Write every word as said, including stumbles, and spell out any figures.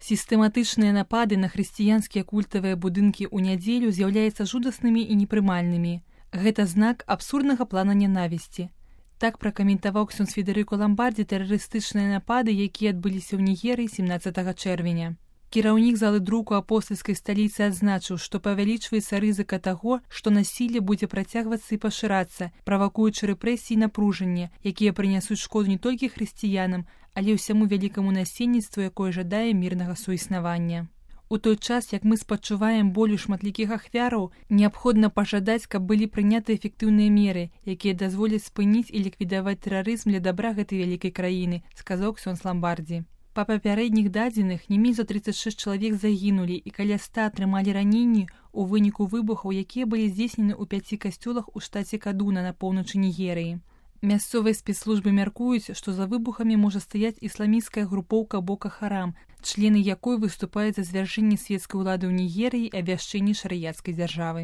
Сістэматычныя напады на хрысціянскія культавыя будынкі ў нядзелю з'яўляюцца жудаснымі і непрымальнымі. Гэта знак абсурднага плана нянавісці. Так пракаментаваў ксёндз Федэрыка Ламбардзі тэрарыстычныя напады, якія адбыліся ў Нігерыі семнаццатага чэрвеня. Кіраўнік залы друку апостальскай сталіцы адзначыў, што павялічваецца рызыка таго, што насілле будзе працягвацца і пашырацца, правакуючы рэпрэсіі і напружанне, якія прынясуць шкоду не толькі хрысціянам, але ўсяму вялікаму насельніцтву, якое жадае мірнага суіснавання. У той час, як мы спачуваем болю шматлікіх ахвяраў, неабходна пажадаць, каб былі прыняты эфектыўныя меры, якія дазволяць спыніць і ліквідаваць тэрарызм для дабра гэтай вялікай краіны, сказаў ксёндз Ламбардзі. Па папярэдніх дадзеных не менш за трыццаць шэсць чалавек загінулі і каля ста атрымалі раненні ў выніку выбухаў, якія былі здзейснены ў пяці касцёлах у штаце Кадуна на поўначы Нігерыі. Мясцовыя спецслужбы мяркуюць, што за выбухамі можа стаяць ісламісцкая групоўка Бока Харам, члены якой выступаюць за звяржэнне свецкай улады ў Нігерыі і абвяшчэнне шарыяцкай дзяржавы.